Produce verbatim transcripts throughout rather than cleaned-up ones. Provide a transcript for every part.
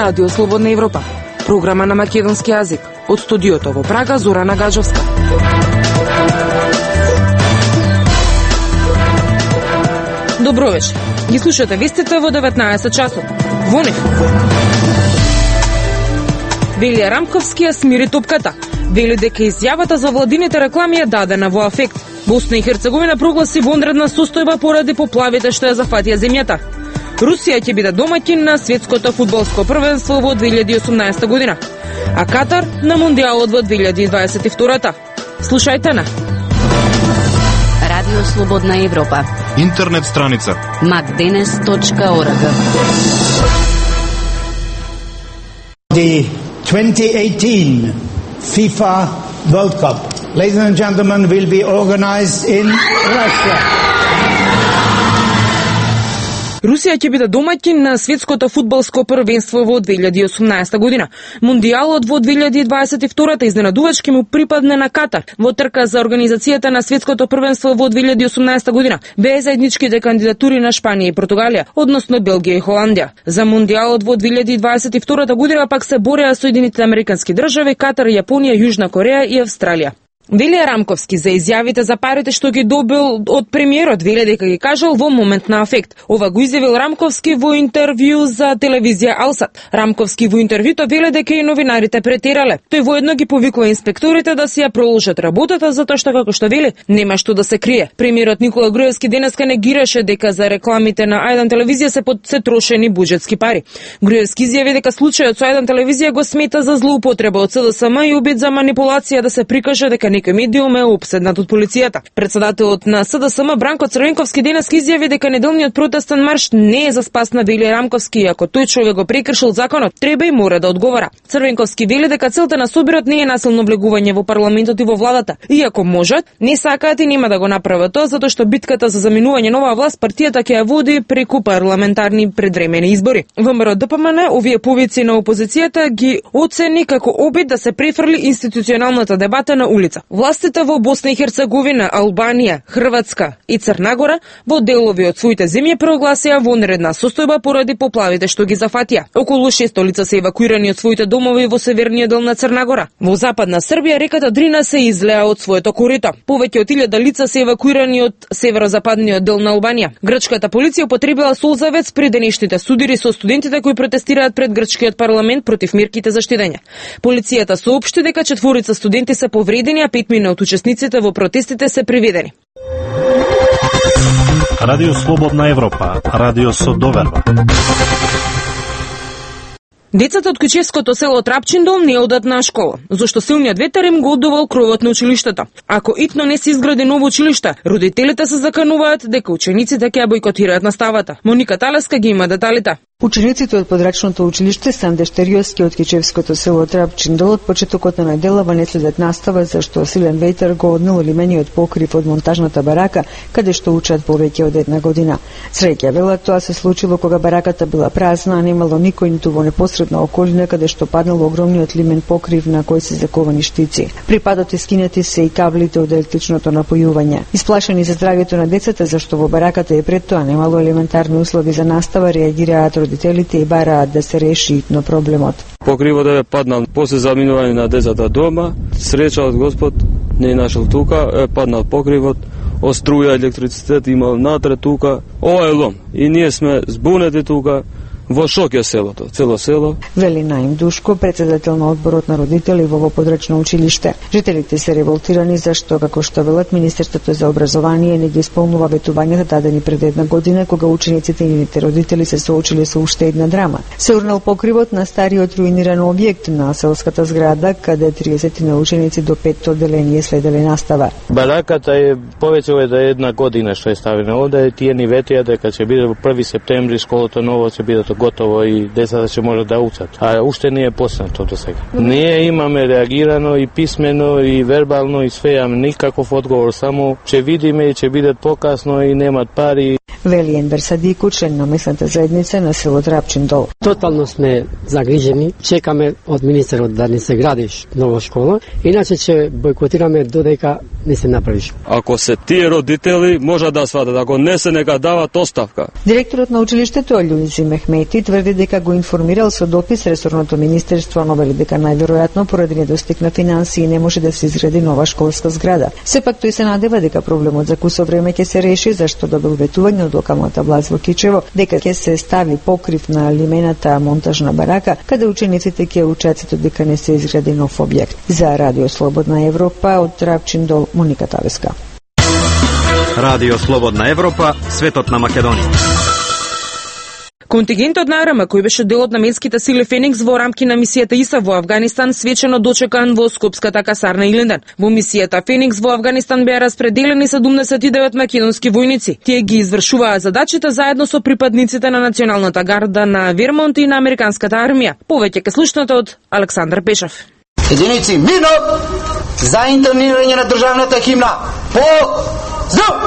Радио Слободна Европа, програма на македонски јазик. Од студиото во Прага, Зорана Гаджовска. Добро вечер. Ги слушате вестите во деветнаесет часот. Во нив. Велија Рамковски ја смири топката. Вели дека изјавата за владините реклами е дадена во афект. Босна и Херцеговина прогласи вонредна состојба поради поплавите што ја зафатија земјата. Русија ќе биде домаќин на светското фудбалско првенство во две илјади и осумнаесета година, а Катар на Мондијалот во две илјади и дваесет и втора. Слушајте на Радио Слободна Европа. Интернет страница макденес точка орг. The twenty eighteen FIFA World Cup, ladies and gentlemen, will be organized in Russia. Русија ќе биде домаќин на светското фудбалско првенство во две илјади и осумнаесета година. Мондијалот во две илјади и дваесет и втора изненадувачки му припадне на Катар. Во трка за организацијата на светското првенство во две илјади и осумнаесета година беа заедничките кандидатури на Шпанија и Португалија, односно Белгија и Холандија. За Мондијалот во две илјади и дваесет и втора година пак се бореа Соединетите американски држави, Катар, Јапонија, Јужна Кореја и Австралија. Велија Рамковски за изјавите за парите што ги добил од премиерот, вели дека ги кажал во момент на афект. Ова го изјавил Рамковски во интервју за телевизија Алсат. Рамковски во интервјуто вели дека и новинарите претерале. Тој воедно ги повикува инспекторите да си ја продолжат работата затоа што, како што вели, нема што да се крие. Премиерот Никола Груевски денеска негираше дека за рекламите на Ајдан телевизија се под се трошени буџетски пари. Груевски изјави дека случајот со Ајдан телевизија го смета за злоупотреба од СДСМ и обид за манипулација да се прикаже дека некој медиум е опседнат од полицијата. Председателот на СДСМ Бранко Црвенковски денеска изјави дека неделниот протестен марш не е за спас на Велија Рамковски и ако тој човек го прекршил законот, треба и мора да одговара. Црвенковски вели дека целта на собирот не е насилно влегување во парламентот и во владата. Иако можат, не сакаат и нема да го направат тоа затоа што битката за заминување нова власт партијата ќе ја води преку парламентарни предвремени избори. ВМРО Д П М Н овие повици на опозицијата ги оцени како обид да се префрли институционалната дебата на улица. Властите во Босна и Херцеговина, Албанија, Хрватска и Црна Гора во делови од своите земји прогласија вонредна состојба поради поплавите што ги зафатија. Околу шесто лица се евакуирани од своите домови во северниот дел на Црна Гора. Во западна Србија реката Дрина се излеа од своето корито. Повеќе од илјада лица се евакуирани од северозападниот дел на Албанија. Грчката полиција употребила солзавец при денешните судири со студентите кои протестираат пред грчкиот парламент против мерките за штедење. Полицијата соопшти дека четворица студенти се повредени, а пет од учесниците во протестите се приведени. Радио Слободна Европа, радио со доверба. Децата од Кучевското село Трапчиндол не одат на школа, зашто силниот ветер им го одувал кровот на училиштата. Ако итно не се изгради ново училиште, родителите се закануваат дека учениците ќе бојкотираат наставата. Моника Талеска ги има деталите. Учениците од подрачното училиште Санде Штериоски од Кичевското село Трапчиндол од почетокот на неделава не следат настава зашто силен ветер го однел лимениот покрив од монтажната барака каде што учат повеќе од една година. Среќа велат тоа се случило кога бараката била празна, а немало никој ниту во непосредна околина каде што паднал огромниот лимен покрив на кој се заковани штици. При падот искинети се и каблите од електричното напојување. Исплашени за здравјето на децата зашто во бараката и пред тоа немало елементарни услови за настава, реагираат родителите и бараат да се реши итно проблемот. Покривот е паднал после заминување на децата дома, среќа од Господ не е нашол тука, е паднал покривот, од струја, електрицитет имал натре тука, ова е лом. И ние сме збунети тука, во шок е селото, цело село. Вели Наим Душко, председател на одборот на родители во подрачно училиште. Жителите се револтирани зашто, како што велат, Министерството за образование не ги исполнува ветувањата дадени пред една година, кога учениците и нивните родители се соочиле со уште една драма. Се урнал покривот на стариот руиниран објект на селската зграда, каде триесет на ученици до петто одделение следеле настава. Бараката е повеќе од една година што е ставена овде, тие ни ветија дека ќе биде во први септември школото ново ќе биде готово и децата ќе можат да учат. А уште не е почнато до сега. Ние имаме реагирано и писмено и вербално и све, ама никаков одговор, само ќе видиме и ќе бидат покасно и немат пари. вели Енвер Садику, член на местната заедница на село Трапчин дол. Тотално сме загрижени, чекаме од министерот да ни се градиш нова школа, иначе ќе бойкотираме додека не се направиш. Ако се тие родители, може да сватат, ако не се нека дават оставка. Директорот на училиштето Љуизи Мехмети тврди дека го информирал со допис ресорното министерство, но вели дека најверојатно поради недостиг на финансии не може да се изгради нова школска зграда. Сепак тој се надева дека проблемот за кусо време ќе се реши, зашто добил ветување од локалната власт во Кичево дека ќе се стави покрив на лимената монтажна барака, каде учениците ќе учат дека не се изгради нов објект. За Радио Слободна Европа од Трапчин дол, Моника Тавеска. Радио Слободна Европа, светот на Македонија. Контингентот на АРМ, кој беше дел од наменските сили Феникс во рамки на мисијата ИСАФ во Авганистан, свечено дочекан во скопската касарна Илинден. Во мисијата Феникс во Авганистан беа распределени седумдесет и девет македонски војници. Тие ги извршуваа задачите заедно со припадниците на националната гарда на Вермонт и на американската армија. Повеќе ке слушнете од Александар Пешев. Единици мирно за интонирање на државната химна. По здрав!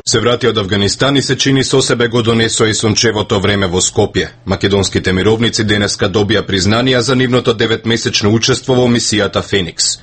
Се врати од Авганистан и се чини со себе го донесо и сончевото време во Скопје. Македонските мировници денеска добија признанија за нивното деветмесечно учество во мисијата Феникс.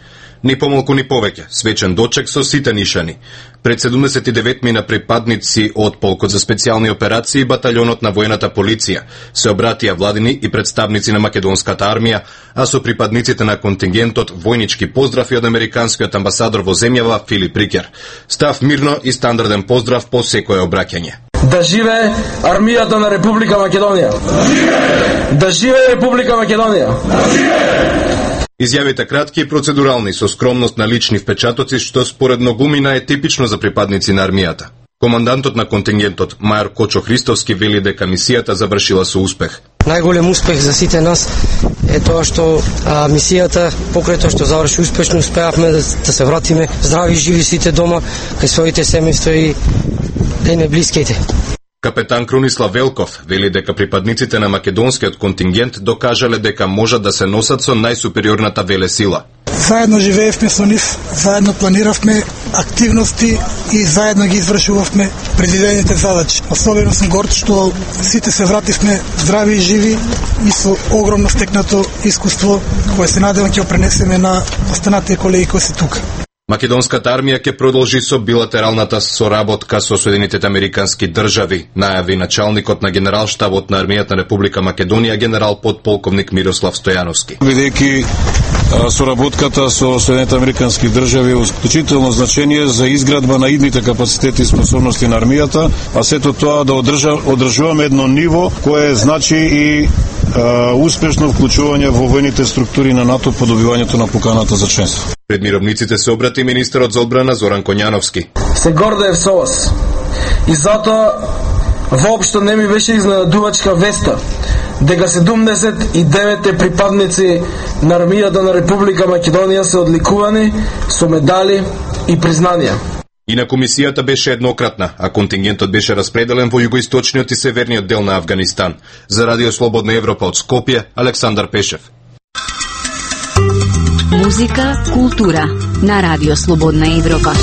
Ни помалку ни повеќе, свечен дочек со сите нишани. Пред седумдесет и девет мина припадници од полкот за специјални операции и баталјонот на воената полиција се обратија владини и представници на македонската армија, а со припадниците на контингентот војнички поздрав и од американскиот амбасадор во земјава Филип Рикер. Став мирно и стандарден поздрав по секое обраќање. Да живее армијата на Република Македонија! Да живее! Да живее Република Македонија! Да живее! Изјавите кратки и процедурални со скромност на лични впечатоци, што според многумина е типично за припадници на армијата. Командантот на контингентот Мајор Кочо Христовски вели дека мисијата завршила со успех. Најголем успех за сите нас е тоа што а, мисијата, покрај тоа што заврши успешно, успеавме да, да се вратиме здрави и живи сите дома кај своите семејства и кај неблиските. Капетан Крунислав Велков вели дека припадниците на македонскиот контингент докажале дека можат да се носат со најсупериорната велесила. Заедно живеевме со нив, заедно планиравме активности и заедно ги извршувавме предвидените задачи. Особено сум горд што сите се вративме здрави и живи и со огромно стекнато искуство кое се надевам ќе го пренесеме на останатите колеги кои се тука. Македонската армија ќе продолжи со билатералната соработка со Соединетите американски држави, најави началникот на генералштабот на армијата на Република Македонија генерал подполковник Мирослав Стојановски. Бидејќи соработката со Соединетите американски држави е исклучително значение за изградба на идните капацитети и способности на армијата, а сето тоа да одржа, одржуваме едно ниво кое значи и а, успешно вклучување во војните структури на НАТО по добивањето на поканата за членство. Пред мировниците се обрати министерот за одбрана Зоран Коњановски. Се гордеев со вас. И затоа воопшто не ми беше изненадувачка веста дека седумдесет и девет припадници на армијата на Република Македонија се одликувани со медали и признанија. Инаку мисијата беше еднократна, а контингентот беше распределен во југоисточниот и северниот дел на Авганистан. За Радио Слободна Европа од Скопје, Александар Пешев. Музика, култура на Радио Слободна Европа.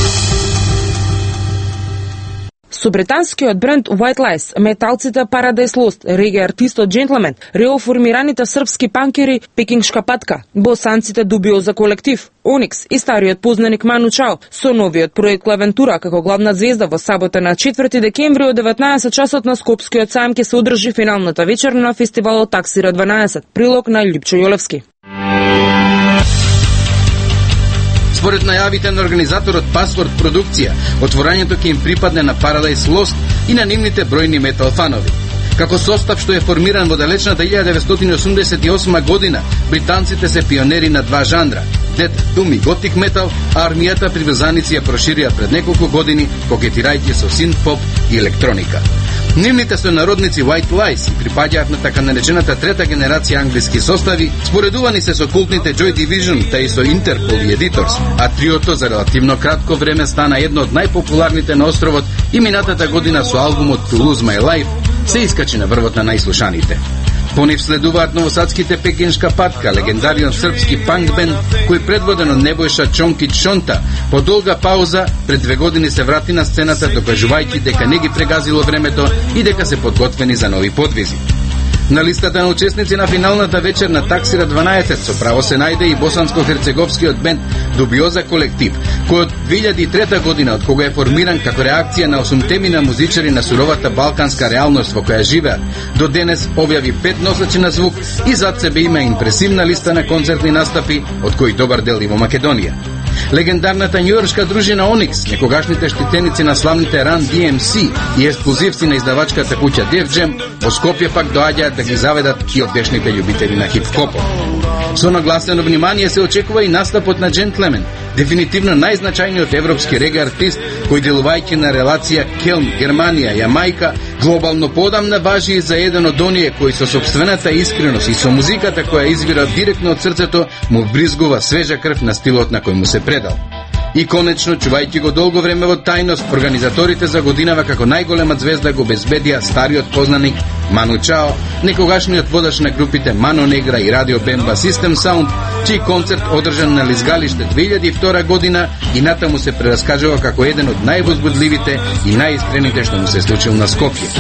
Со британскиот бренд White Lies, металците Paradise Lost, реге артистот Gentleman, реоформираните српски панкери Пекингшка патка, босанците Дубиоза колектив, Оникс и стариот познаник Ману Чао, со новиот проект Клавентура како главна звезда во сабота на четврти декември од деветнаесет часот на Скопскиот сајм ќе се одржи финалната вечер на фестивалот Таксира дванаесет, прилог на Љупчо Јолевски. Според најавите на организаторот Password продукција, отворањето ќе им припадне на Paradise Lost и на нивните бројни метал фанови. Како состав што е формиран во далечната илјада деветстотини осумдесет и осма година, британците се пионери на два жанра – Death, Doom и Gothic Metal, а армијата приврзаници ја проширија пред неколку години, кокетирајќи со синт-поп и електроника. Нивните сонародници White Lies припаѓаат на така наречената трета генерација англиски состави, споредувани се со култните Joy Division, та и со Interpol и Editors, а триото за релативно кратко време стана едно од најпопуларните на островот и минатата година со албумот To Lose My Life се искачи на врвот на најслушаните. По нив следуваат новосадските Пекиншка патка, легендарион српски панк бенд кој предводен од Небојша Чонкич Шонта по долга пауза пред две години се врати на сцената докажувајќи дека не ги прегазило времето и дека се подготвени за нови подвизи. На листата на учесници на финалната вечер на Таксира дванаесет со право се најде и босанско-херцеговскиот бенд Дубиоза колектив, кој од две илјади и трета година, од кога е формиран како реакција на осумтемина музичари на суровата балканска реалност во која живеат, до денес објави пет носачи на звук и зад себе има импресивна листа на концертни настапи, од кои добар дел и во Македонија. Легендарната њујоршка дружина Оникс, некогашните штитеници на славните Run Ди Ем Си и ексклузивци на издавачката куќа Def Jam, во Скопје пак доаѓаат да ги заведат и одешните љубители на хип-хопот. Со нагласено внимание се очекува и настапот на Джентлемен, дефинитивно најзначајниот европски реге артист кој делувајќи на релација Келн-Германија-Јамајка, глобално подамна важи и за еден од оние кои со собствената искреност и со музиката која извира директно од срцето му вбризгува свежа крв на стилот на кој му се предал. И конечно, чувајќи го долго време во тајност, организаторите за годинава како најголема звезда го безбедија стариот познаник Ману Чао, некогашниот водаш на групите Мано Негра и Радио Бемба Систем Саунд, чиј концерт одржан на Лизгалиште две илјади и втора година и натаму се прераскажува како еден од највозбудливите и најискрените што му се случил на Скопје.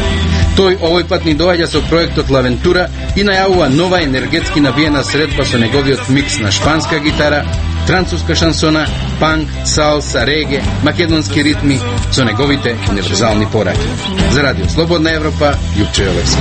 Тој овој пат ни доаѓа со проектот Лавентура и најавува нова енергетски навиена средба со неговиот микс на шпанска гитара, француска шансона, панк, салса, реге, македонски ритми со неговите универзални пораки. За Радио Слободна Европа, Јупче Јовевски.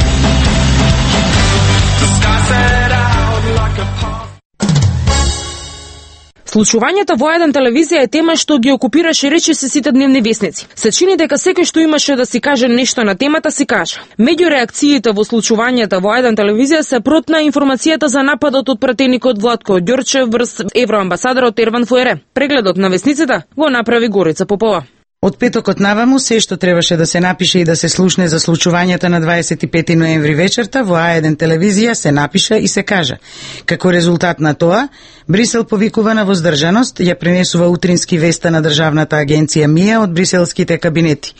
Случувањето во еден телевизија е тема што ги окупираше речиси сите дневни весници. Се чини дека секој што имаше да си каже нешто на темата си кажа. Меѓу реакциите во случувањето во еден телевизија се протна информацијата за нападот од пратеникот Владко Ѓорчев врз евроамбасадорот Ерван Фуере. Прегледот на весниците го направи Горица Попова. Од петокот наваму се што требаше да се напише и да се слушне за случувањата на дваесет и пети ноември вечерта во А еден телевизија се напиша и се кажа. Како резултат на тоа, Брисел повикува на воздржаност, ја пренесува утрински веста на Државната агенција МИА од бриселските кабинети.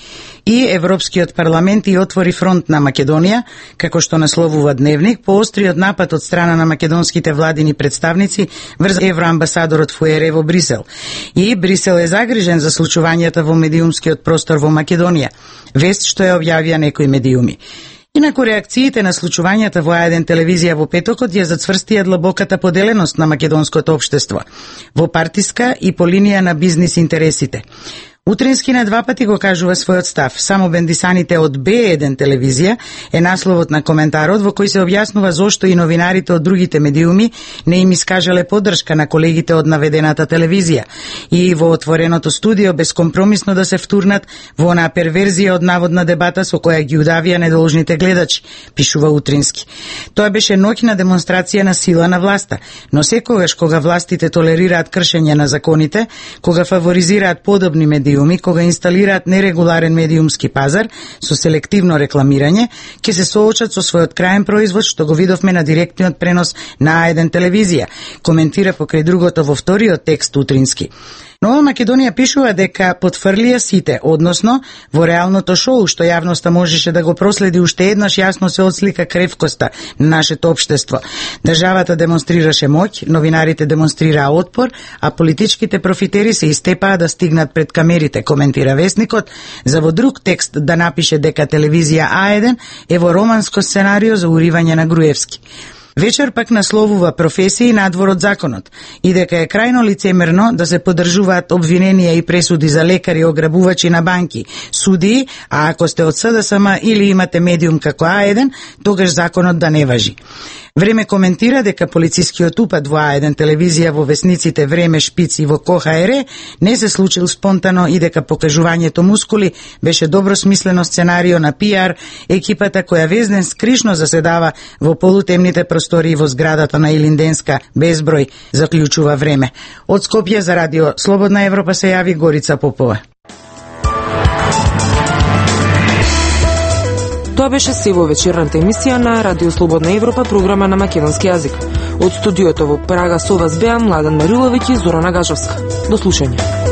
И Европскиот парламент и отвори фронт на Македонија, како што насловува Дневник, по остриот напад од страна на македонските владини представници врз евроамбасадорот Фуере во Брисел. И Брисел е загрижен за случувањата во медиумскиот простор во Македонија, вест што ја објавија некои медиуми. Инаку реакциите на случувањата во А еден телевизија во петокот ја зацврстија длабоката поделеност на македонското општество, во партиска и по линија на бизнис интересите. Утрински на два пати го кажува својот став. Само бендисаните од Б еден телевизија е насловот на коментарот во кој се објаснува зошто и новинарите од другите медиуми не им искажале поддршка на колегите од наведената телевизија и во отвореното студио бескомпромисно да се втурнат во онаа перверзија од наводна дебата со која ги удавија недолжните гледачи, пишува Утрински. Тоа беше ноќна демонстрација на сила на власта, но секогаш кога властите толерираат кршење на законите, кога фаворизираат подобни медиуми, кога инсталираат нерегуларен медиумски пазар со селективно рекламирање, ќе се соочат со својот крајен производ, што го видовме на директниот пренос на А еден телевизија, коментира покрај другото во вториот текст Утрински. Нова Македонија пишува дека потфрлија сите, односно во реалното шоу што јавноста можеше да го проследи уште еднаш јасно се отслика кревкоста на нашето општество. Државата демонстрираше моќ, новинарите демонстрираа отпор, а политичките профитери се истепаа да стигнат пред камерите, коментира Весникот, за во друг текст да напише дека телевизија А еден е во романско сценарио за уривање на Груевски. Вечер пак насловува професии надвор од законот и дека е крајно лицемерно да се поддржуваат обвиненија и пресуди за лекари ограбувачи на банки, судии, а ако сте од С Д С М или имате медиум како А еден, тогаш законот да не важи. Време коментира дека полицискиот упад во А еден телевизија во весниците Време, Шпиц и во Ко Ха Ер не се случил спонтано и дека покажувањето мускули беше добро смислено сценарио на Пи Ар екипата која везден скришно заседава во полутемните простории во зградата на Илинденска безброј, заклучува Време. Од Скопје за Радио Слободна Европа се јави Горица Попова. Тоа беше се во вечерната емисија на Радио Слободна Европа, програма на македонски јазик. Од студиото во Прага со вас беа Младен Мариловиќ и Зорана Гажовска. До слушање.